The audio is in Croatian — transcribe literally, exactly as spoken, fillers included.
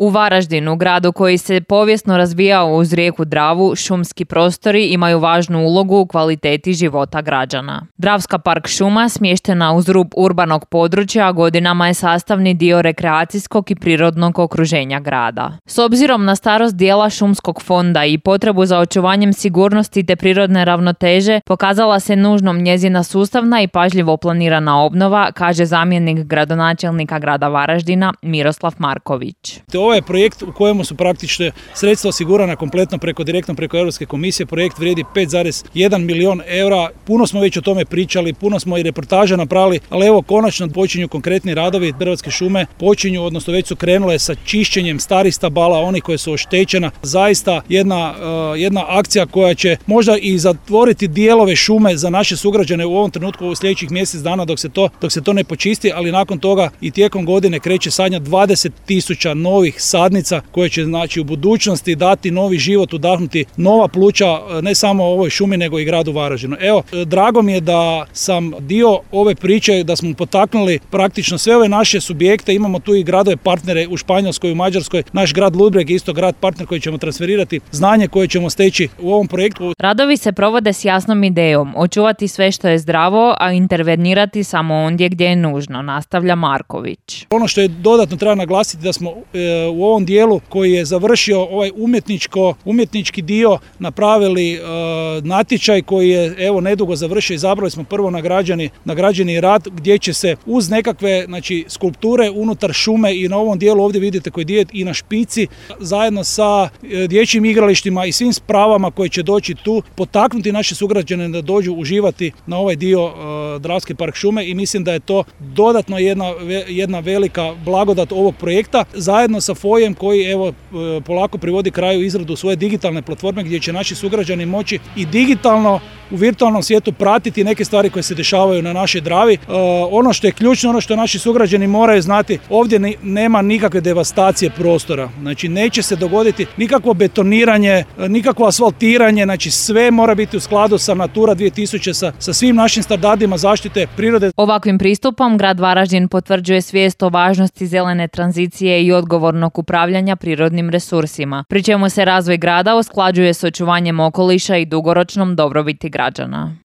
U Varaždinu, gradu koji se povijesno razvijao uz rijeku Dravu, šumski prostori imaju važnu ulogu u kvaliteti života građana. Dravska park šuma, smještena uz rub urbanog područja, godinama je sastavni dio rekreacijskog i prirodnog okruženja grada. S obzirom na starost dijela šumskog fonda i potrebu za očuvanjem sigurnosti te prirodne ravnoteže, pokazala se nužnom njezina sustavna i pažljivo planirana obnova, kaže zamjenik gradonačelnika grada Varaždina Miroslav Marković. Ovaj projekt u kojemu su praktično sredstva osigurana kompletno preko direktno preko Europske komisije, projekt vrijedi pet zarez jedan milijon eura. Puno smo već o tome pričali, puno smo i reportaža napravili, ali evo konačno počinju konkretni radovi. Hrvatske šume počinju, odnosno već su krenule sa čišćenjem starih stabala, onih koje su oštećena. Zaista jedna, uh, jedna akcija koja će možda i zatvoriti dijelove šume za naše sugrađane u ovom trenutku u sljedećih mjesec dana dok se to, dok se to ne počisti, ali nakon toga i tijekom godine kreće sadnja dvadeset tisuća novih sadnica koje će znači u budućnosti dati novi život, udahnuti nova pluća ne samo ovoj šumi nego i gradu Varaždinu. Evo, drago mi je da sam dio ove priče, da smo potaknuli praktično sve ove naše subjekte. Imamo tu i gradove partnere u Španjolskoj, u Mađarskoj. Naš grad Ludbreg je isto grad partner koji ćemo transferirati znanje koje ćemo steći u ovom projektu. Radovi se provode s jasnom idejom očuvati sve što je zdravo, a intervenirati samo ondje gdje je nužno, nastavlja Marković. Ono što je dodatno treba naglasiti da smo e, u ovom dijelu koji je završio ovaj umjetničko, umjetnički dio napravili e, natječaj koji je evo nedugo završio. Izabrali smo prvo nagrađeni, nagrađeni rad gdje će se uz nekakve znači, skulpture unutar šume i na ovom dijelu ovdje vidite koji dio i na špici zajedno sa e, dječjim igralištima i svim spravama koji će doći tu potaknuti naše sugrađane da dođu uživati na ovaj dio e, Dravski park šume i mislim da je to dodatno jedna, jedna velika blagodat ovog projekta zajedno sa Fojem koji evo polako privodi kraju izradu svoje digitalne platforme gdje će naši sugrađani moći i digitalno u virtualnom svijetu pratiti neke stvari koje se dešavaju na našoj Dravi. E, ono što je ključno, ono što naši sugrađani moraju znati, ovdje ne, nema nikakve devastacije prostora. Znači neće se dogoditi nikakvo betoniranje, nikakvo asfaltiranje, znači sve mora biti u skladu sa Natura dvije tisuće, sa, sa svim našim standardima zaštite prirode. Ovakvim pristupom grad Varaždin potvrđuje svijest o važnosti zelene tranzicije i odgovornog upravljanja prirodnim resursima, pri čemu se razvoj grada usklađuje s očuvanjem okoliša i dugoročnom dobrobiti građana.